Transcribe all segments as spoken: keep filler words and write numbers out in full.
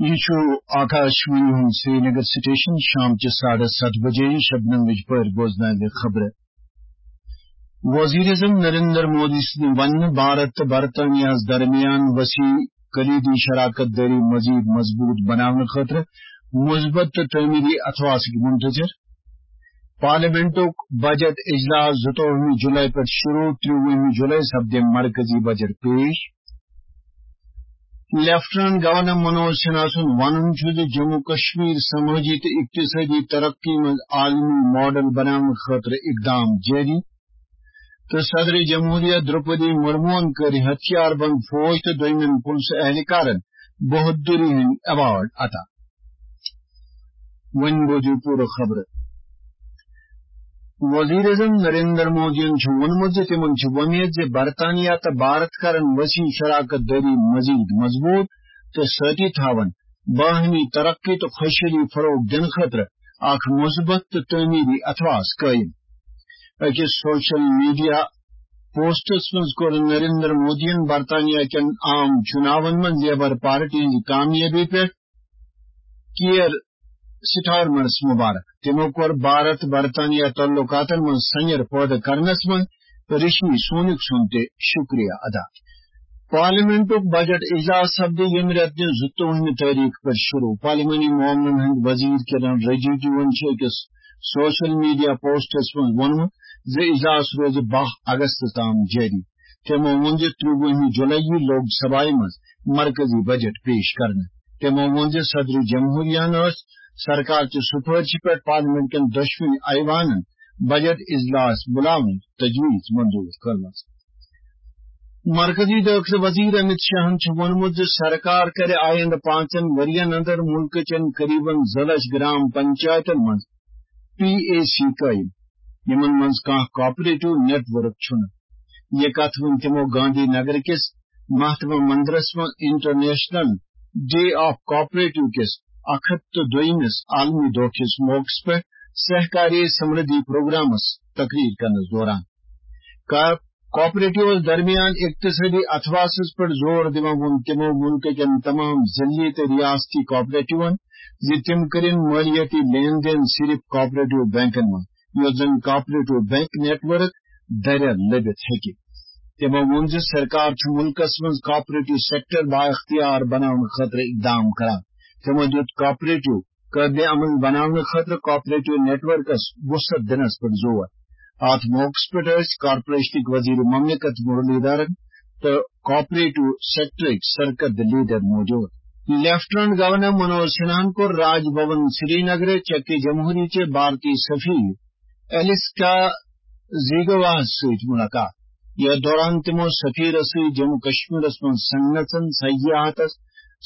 یہِ چھُ آکاشوانی ہُنٛد سرینگر سٹیشن۔ شام چہِ ساڑٕ ستھ بجے شبنم وِجپٲرۍ بوزناوِ خبرٕ۔ وزیر اعظم نریندر مودی سٕنٛدِ وننہٕ بھارت تہٕ برطانیہس درمیان وسیع کلیدی شراکت دٲری مزید مضبوط بناونہٕ خٲطرٕ مثبت تہٕ تعمیری اتھواسٕکۍ منتظر۔ پارلیمنٹُک بجٹ اجلاس زٕتووُہمہِ جولائی پٮ۪ٹھ شروع، ترٛوُہمہِ جولائی سپدِ مرکزی بجٹ پیش۔ لیفٹیننٹ گورنر منوج سنہا سُنٛد وَنُن چھُ زِ جموں کشمیر سمٲجی تہٕ اقتصٲدی ترقی منٛز عالمی ماڈل بناونہٕ خٲطرٕ اقدام جٲری تہٕ صدر جمہوریہ درپدی مرموہن کٔرۍ ہتھیار بند فوج تہٕ دوٚیمٮ۪ن پُلسہٕ اہلکارن بہادری ہٕنٛدۍ ایوارڈ عطا۔ وۄنۍ بوزِو پوٗرٕ خبرٕ۔ وزیر اعظم نریندر مودیَن چھُ ووٚنمُت زِ تِمَن چھِ وۄمید زِ برطانیہ تہٕ بھارت کرن وسیع شراکت دٲری مزید مضبوط تہٕ سۭتی تھاون باہمی ترقی تہٕ خوشحالی فروغ دِنہٕ خٲطرٕ اکھ مثبت تہٕ تعمیری اتھواس قٲیِم۔ أکِس سوشل میڈیا پوسٹس منٛز کوٚر نریندر مودیَن برطانیہ کٮ۪ن عام چُناون منٛز لیبر پارٹی ہٕنٛزِ کامیٲبی پٮ۪ٹھ کیئر سٹارمرس مبارک۔ تِمو کوٚر بھارت برطانیہ تعلقاتن منٛز سنیر پٲدٕ کرنس منٛز رشی سونک سُنٛد تہِ شکریہ ادا۔ پارلیمنٹُک بجٹ اجلاس سپدِ ییٚمہِ رٮ۪تہٕ کہِ زٕتووُہمہِ تٲریخ پٮ۪ٹھ شروع۔ پارلیمانی معاملن ہٕنٛدۍ وزیر کِرن رجیجوَن چھُ أکِس سوشل میڈیا پوسٹس منٛز ووٚنمُت زِ اجلاس روزِ باہ اگست تام جٲری۔ تِمو ووٚن زِ ترٛوُہمہِ جولائی یی لوک سبھایہ منٛز مرکزی بجٹ پیش کرنہٕ۔ تِمو ووٚن زِ صدر جمہوریہن ٲس سرکار چہِ سفارشہِ پٮ۪ٹھ پارلیمنٹ کٮ۪ن دۄشوٕنی ایوانن بجٹ اجلاس بُلاونٕچ تجویز منظور کٔرمٕژ۔ مرکزی دٲخلہٕ وزیر امت شاہن چھُ ووٚنمُت زِ سرکار کرِ آیندٕ پانٛژن ؤرین اندر مُلکہٕ چٮ۪ن قریباً زٕ لچھ گرام پنچایتن منٛز پی اے سی قٲیِم، یِمن منٛز کانٛہہ کوآپریٹو نیٹ ورک چھُنہٕ۔ یہِ کتھ ووٚن تِمو گاندھی نگر کِس مہاتما مندرس منٛز انٹرنیشنل ڈے آف کوآپریٹو کِس اکھ ہتھ تہٕ دوٚیمِس عالمی دۄہ کِس موقعس پٮ۪ٹھ سہکاری سمردھی پروگرامس تقریر کرنس دوران۔ کا-، کوآپریٹوس درمیان اقتصٲدی اتھواسس پٮ۪ٹھ زور دِوان ووٚن تِمو مُلکہٕ کٮ۪ن تمام ضلعی تہٕ ریاستی کوآپریٹوَن زِ تِم کٔرِن مٲلیٲتی لین دین صرف کوآپریٹو بینکن منٛز، یوٚت زَن کوآپریٹو بینک نیٹ ورک دریا لٔبِتھ ہیٚکہِ۔ تِمو ووٚن زِ سرکار چھُ مُلکَس منٛز کوآپریٹو سیکٹر بااختیار بناونہٕ خٲطرٕ اقدام کران۔ تِمو دیُت کوآپریٹو قٲبلِ عمل بناونہٕ خٲطرٕ کوآپریٹو نیٹ ورکس وسعت دِنَس پٮ۪ٹھ زور۔ اَتھ موقعس پٮ۪ٹھ ٲسۍ کارپوریشنٕکۍ وزیر مملکت مرلی دھرن تہٕ کوآپریٹو سیکٹرٕکۍ سرکردٕ لیڈر موجود۔ لیفٹیننٹ گورنر منوج سنہاہن کوٚر راج بھون سرینگرٕ چکہِ جمہوری چہِ بھارتی سفیر ایلسکا زیگواہس سۭتۍ مُلاقات۔ یتھ دوران تِمو سفیرس سۭتۍ جموں کشمیرس منٛز صنعتن، سیاحتس،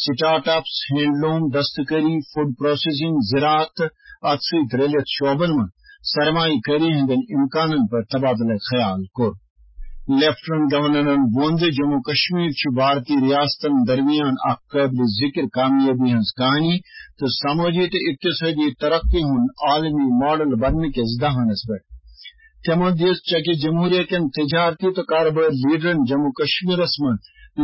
سٹارٹ اپس، ہینڈلوم، دستکاری، فوڈ پروسیسنگ، زراعت تہٕ اتھ سۭتۍ رلِتھ شعبن منٛز سرمایہ کٲری ہٕنٛدٮ۪ن امکانن پٮ۪ٹھ تبادلہ خیال کوٚر۔ لیفٹیننٹ گورنرن ووٚن زِ جموں کشمیر چھُ بھارتی ریاستن درمیان اکھ قٲبلِ ذکر کامیٲبی ہٕنٛز کہانی تہٕ سمٲجی تہٕ اقتصٲدی ترقی ہُنٛد عالمی ماڈل بننہٕ کِس دہانس پٮ۪ٹھ۔ تِمو دِژ چکہِ جمہوریہ کٮ۪ن تجارتی تہٕ کارٕبٲرۍ لیڈرن جموں کشمیرس منٛز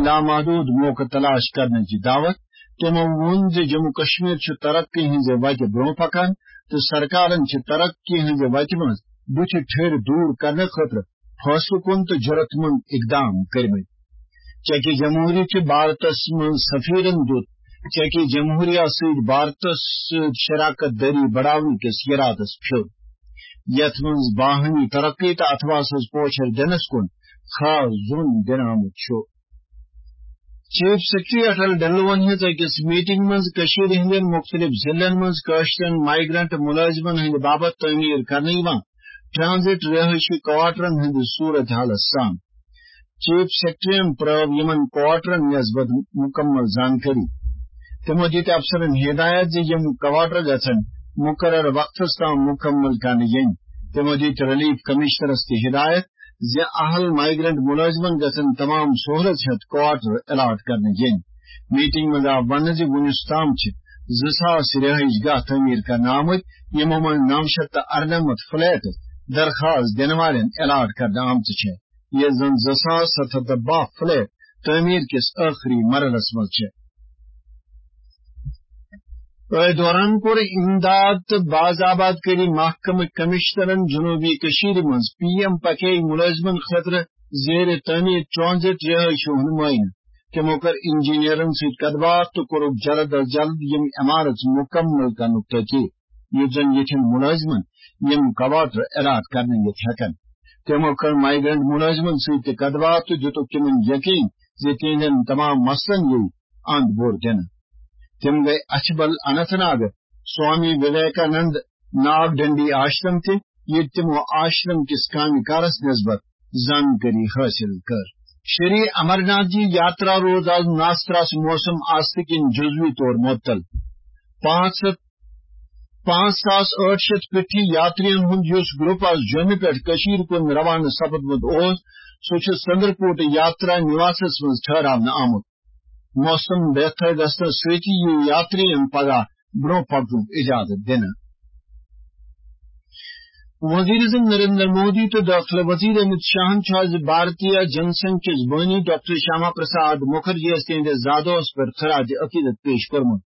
لامحدود موقعہٕ تلاش کرنٕچ دعوت۔ تِمو ووٚن زِ جموں کشمیر چھُ ترقی ہٕنٛزِ وتہِ برٛونٛہہ پکان تہٕ سرکارن چھِ ترقی ہٕنٛزِ وتہِ منٛز بُتھِ ٹھٔرۍ دوٗر کرنہٕ خٲطرٕ فٲصلہٕ کُن تہٕ جرأت مند اقدام کٔرمٕتۍ۔ چکہِ جمہوری چہِ بھارتس منٛز سفیرن دیُت چکہِ جمہوریہ سۭتۍ بھارتس سۭتۍ شراکت دٲری بڑاونہٕ کِس ارادس پھیُر، یتھ منٛز باہمی ترقی تہٕ اتھواسس پوچھر دِنس کُن خاص زوٚن دِنہٕ آمُت چھُ۔ چیف سیکرٹری اٹل ڈلوَن ہٕنٛز أکِس میٹنگ منٛز کٔشیٖرِ ہٕنٛدٮ۪ن مُختٔلِف ضلعن منٛز کٲشرٮ۪ن مائیگرنٹ مُلٲزمَن ہٕنٛدِ باپتھ تعمیٖر کرنہٕ یِوان ٹرانزٹ رہٲیشی کوارٹرن ہٕنٛدِ صورت حالس سان۔ چیف سیکرٹریَن پرٛٲو یِمَن کوارٹرن نسبت مُکمل زانکٲری۔ تِمَو دِتۍ افسرَن ہدایت زِ یِم کوارٹر گژھن مُقرر وقتَس تام مُکمل کرنہٕ یِنۍ۔ تِمَو دِتۍ ریلیف کمشنرَس تہِ ہدایت زِ اہل مائیگرنٹ مُلٲزمَن گژھن تمام سہولت ہیتھ کوارٹر الاٹ کرنہٕ یِنۍ۔ میٹنگ منٛز آو وننہٕ زِ وُنیُس تام چھِ زٕ ساس رہائش گاہ تعمیٖر کرنہٕ آمٕتۍ، یِمو منٛز نو شیٚتھ تہٕ اَرنَمَتھ فلیٹ درخواست دِنہٕ والٮ۪ن الاٹ کرنہٕ آمژٕ چھِ، ییٚلہِ زن زٕ ساس ستھ ہتھ تہٕ باہ فلیٹ تعمیٖر کِس ٲخری مرحلس منٛز چھِ۔ أتھۍ دوران کوٚر امداد تہٕ باز آباد کٲری محکمہٕ کمشنرن جنوبی کٔشیٖرِ منٛز پی ایم پکھے مُلٲزمن خٲطرٕ زیر تعمیٖر ٹرانزٹ رہٲیشہِ ہُنٛد معائنہٕ۔ تِمو کٔر انجینئرن سۭتۍ کتھ باتھ تہٕ کوٚرُکھ جلد از جلد یِم عمارژٕ مُکمل کرنُک تاکید، یُتھ زن یِتھٮ۪ن مُلٲزمن یِم کوارٹر الاٹ کرنہٕ یِتھ ہٮ۪کن۔ تِمو کٔر مائیگرنٹ مُلٲزمن سۭتۍ تہِ کتھ باتھ تہٕ دِتُکھ تِمن یقین زِ تِہنٛدٮ۪ن تمام مسلن یِیہِ اند بور دِنہٕ۔ تِم گٔے اچھبل اننت ناگ سوامی وویکانند ناگ ڈنڈی آشرم تہِ، ییٚتہِ تِمو آشرم کِس کامہِ کارس نسبت زانکٲری حٲصِل کٔر۔ شری امرناتھ جی یاترا روٗز از ناستراس موسم آستہٕ کِنۍ جزوی طور معطل۔ پانٛژھ ہتھ، پانٛژھ ساس ٲٹھ شیٚتھ پِٹھی یاترین ہُنٛد یُس گروپ از جوٚمہِ پٮ۪ٹھ کٔشیٖرِ کُن روانہٕ سپدمُت اوس، سُہ چھُ سندرکوٹ یاترا نِواسس منٛز ٹھہراونہٕ آمُت۔ موسم بہتر گژھنہٕ سۭتی یِیہِ یاترین پگاہ برونٛہہ پکنُک اجازت دِنہٕ۔ وزیر اعظم نریندر مودی تہٕ دٲخلہٕ وزیر امت شاہن چھُ آز بھارتیہ جن سنگھ کِس بٲنی ڈاکٹر شیاما پرساد مکھرجی یَس تِہنٛدِس زادوہس پٮ۪ٹھ خراج عقیدت پیش کوٚرمُت۔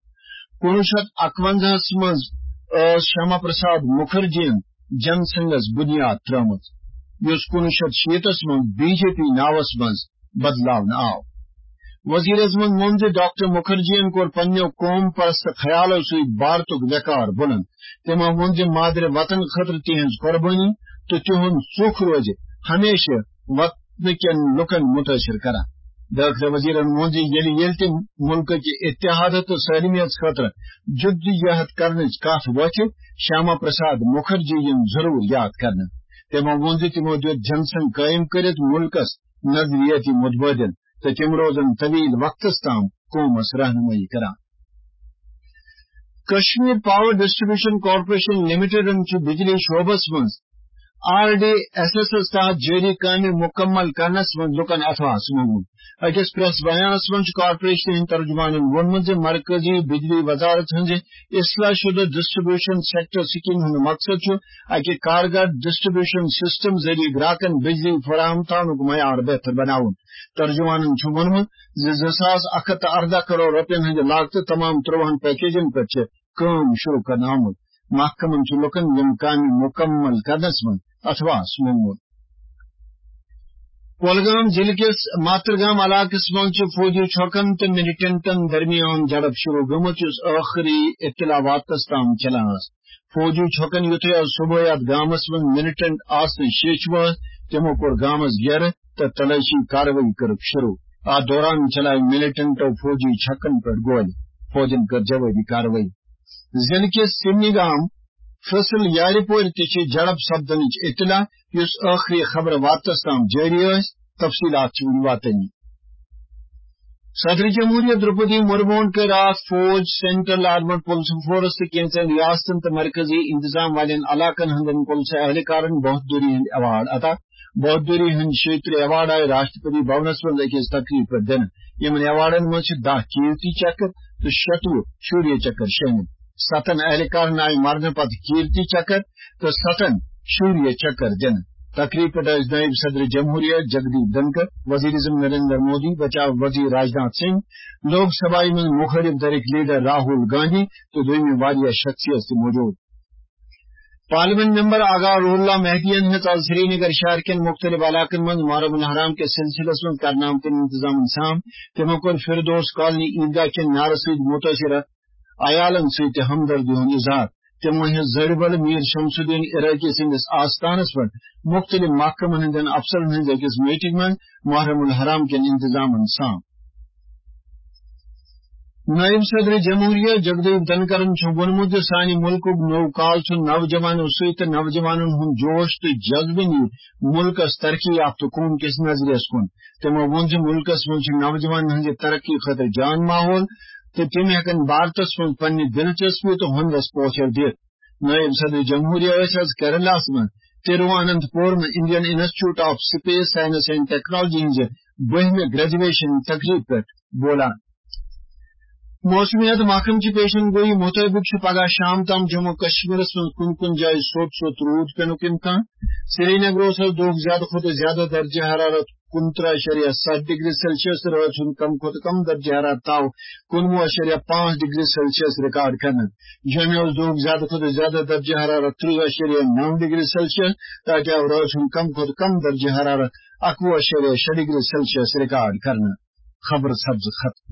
کُنوُہ شیٚتھ اَکوَنزاہَس منٛز ٲس شیاما پرساد مکھرجیَن جن سنگھس بنیاد ترٲومٕژ، یُس کُنوُہ شیٚتھ شیٖتَس منٛز بی جے پی ناوس منٛز بدلاونہٕ آو۔ وزیر اعظمن ووٚن زِ ڈاکٹر مکھرجیَن کوٚر پننیو قوم پرست خیالو سۭتۍ بھارتُک وقار بُلند۔ تٔمۍ ووٚن زِ مادر وطن خٲطرٕ تِہنٛز قربٲنی تہٕ تِہُنٛد ژوٚک روزِ ہمیشہٕ وطنہٕ کٮ۪ن لوٗکن مُتٲثِر کران۔ دٲخلہٕ وزیرن ووٚن زِ ییٚلہِ، ییٚلہِ تہِ مُلکہٕ کہِ اتحاد تہٕ سٲلمیت خٲطرٕ جدوجہد کرنٕچ کتھ وۄتھِ، شیاما پرساد مکھرجی یِن ضروٗر یاد کرنہٕ۔ تٔمۍ ووٚن زِ تِمو دیُت جن سنگھ قٲیِم کٔرِتھ مُلکس نظریٲتی متبادل تہٕ تِم روزن طویل وقتس تام قومس رہنمٲیی کران۔ کشمیر پاور ڈسٹریبیوشن کارپوریشن لمیٹڈن چھُ بجلی شعبس منٛز آر ڈی ایس ایس تحت جٲری کامہِ مُکمل کرنس منٛز لوٗکن اتھواس منٛگمُت۔ أکِس پریس بیانس منٛز چھُ کارپوریشن ہٕنٛدۍ ترجمانن ووٚنمُت زِ مرکزی بجلی وزارت ہٕنٛزِ اصلاح شدہ ڈسٹریبیوشن سیکٹر سکیمہِ ہُنٛد مقصد چھُ اکہِ کارگر ڈسٹریبیوشن سسٹم ذٔریعہٕ گراکن بجلی فراہم تھاونُک معیار بہتر بناوُن۔ ترجمانن چھُ ووٚنمُت زِ زٕ ساس اکھ ہتھ تہٕ اَرداہ کرور رۄپین ہٕنٛدِ لاگتہٕ تمام ترٛۆہن پیکیجن پٮ۪ٹھ چھِ کٲم شروع کرنہٕ آمٕژ۔ محکمن چھُ لوٗکن یِم کامہِ مُکمل کرنس منٛز اتھواس منٛگمُت۔ کولگام ضلعہٕ کِس ماترگام علاقس منٛز چھِ فوجی چھۄکن تہٕ ملیٹنٹن درمیان جھڑپ شروع گٔمٕژ، یُس ٲخری اطلاع واتنس تام چلان ٲس۔ فوجی چھۄکن یُتھُے آز صبحٲے اتھ گامس منٛز ملیٹنٹ آسنٕچ شیٚچھ وٲژ، تِمو کوٚر گامس گیرٕ تہٕ تلٲشی کاروٲیی کٔرٕکھ شروع۔ اتھ دوران چلایہِ ملیٹنٹو فوجی چھۄکن پٮ۪ٹھ گولہِ۔ فوجن کٔر جوٲبی کاروٲیی۔ ضلعہٕ کِس سِمنہِ گام فصل یارِ پورِ تہِ چھِ جھڑپ سپدنٕچ اطلاع، یُس ٲخری خبرٕ واتنس تام جٲری ٲسۍ۔ تفصیلات چھِ وُنہِ واتٲنی۔ صدر جمہوریہ درپدی مرموہن کٔر راتھ فوج، سینٹرل آرمڈ پولیس فورس تہٕ کینژن ریاستن تہٕ مرکزی انتظام والٮ۪ن علاقن ہٕنٛدٮ۪ن پولیس اہلکارن بہادری ہٕنٛدۍ ایوارڈ عطا۔ بہادری ہٕنٛدۍ شیٚیہِ ترٕٛہ ایوارڈ آیہِ راشٹرپتی بھونس منٛز أکِس تقریبہِ پٮ۪ٹھ دِنہٕ۔ یِمن ایوارڈن منٛز چھِ دَہ کیرتی چکر تہٕ شیٚتوُہ شوریہ چکر شٲمِل۔ ستن اہلکارن آیہِ مرنہٕ پتہٕ کیرتی چکر تہٕ ستن شوریہ چکر دِنہٕ۔ تقریبہِ پٮ۪ٹھ ٲسۍ نٲیِب صدر جمہوریہ جگدیپ دھنکر، وزیر اعظم نریندر مودی، بچاو وزیر راجناتھ سنگھ، لوک سبھایہ منٛز مخٲلف دھرٕکۍ لیڈر راہول گاندھی تہٕ دوٚیمہِ واریاہ شخصیت تہِ موجود۔ پارلیمنٹ ممبر آغا روح اللہ مہدیَن ہیٚژ آز سرینگر شہر کٮ۪ن مُختٔلِف علاقن منٛز محرم الحرام کِس سلسلس منٛز کرنہٕ آمتٮ۪ن انتظامن سام۔ تِمو کوٚر فردوس کالنی عیدگاہ کٮ۪ن نعرٕ سۭتۍ مُتٲثرٕ عیالن سۭتۍ تہِ ہمدردی ہُنٛد اظہار۔ تِمو ہیٚژ زربل میر شمس الدین عراقی سٕنٛدِس آستانس پٮ۪ٹھ مُختٔلِف محکمن ہٕنٛدٮ۪ن افسرن ہٕنٛزِ أکِس میٹنگ منٛز محرم الحرام کٮ۪ن انتظامن سام۔ نٲیِب صدر جمہوریہ جگدیپ دھنکرَن چھُ ووٚنمُت زِ سانہِ مُلکُک نوٚو کال چھُ نوجوانو سۭتۍ تہٕ نوجوانَن ہُنٛد جوش تہٕ جذبہٕ نِیہِ مُلکَس ترقی یافتہٕ قوم کِس نظریَس کُن۔ تِمَو ووٚن زِ مُلکَس منٛز چھُ نوجوانَن ہٕنٛزِ ترقی خٲطرٕ جان ماحول تہٕ تِم ہٮ۪کَن بھارتَس منٛز پننہِ دلچسپی تہٕ ہُنرَس پوچھر دِتھ۔ نٲیِب صدر جمہوریہ ٲسۍ آز کیرلاہَس منٛز تِرواننتپورم Indian Institute of Space Science and Technology ہٕنٛزِ بٔہمہِ گریجویشن تقریب پٮ۪ٹھ بولان۔ موسمیات محکمہٕ چہِ پیشن گویی مُطٲبِق چھُ پگہہ شام تام جموں کشمیرس منٛز کُنہِ کُنہِ جایہِ سوٚت سوٚت روٗد پینُک امکان۔ سرینگرس اوس دۄہُک زیادٕ کھۄتہٕ زیادٕ درجہ حرارت کُنترٕہ اَشریہ ستھ ڈگری سیلسیس، رٲژ ہُنٛد کم کھۄتہٕ کم درجہ حرارت آو کُنوُہ اَشریہ پانٛژھ ڈگری سیلسیس ریکارڈ کرنہٕ۔ جوٚمہِ اوس دۄہُک زیادٕ کھۄتہٕ زیادٕ درجہ حرارت ترٕٛہ اَشریہ نَو ڈگری سیلسیس، تہٕ اَتہِ آو رٲژ ہُنٛد کم کھۄتہٕ کم درجہ حرارت اَکوُہ اَشریہ شےٚ ڈگری سیلسیس ریکارڈ کرنہٕ۔ خبر سپز ختم۔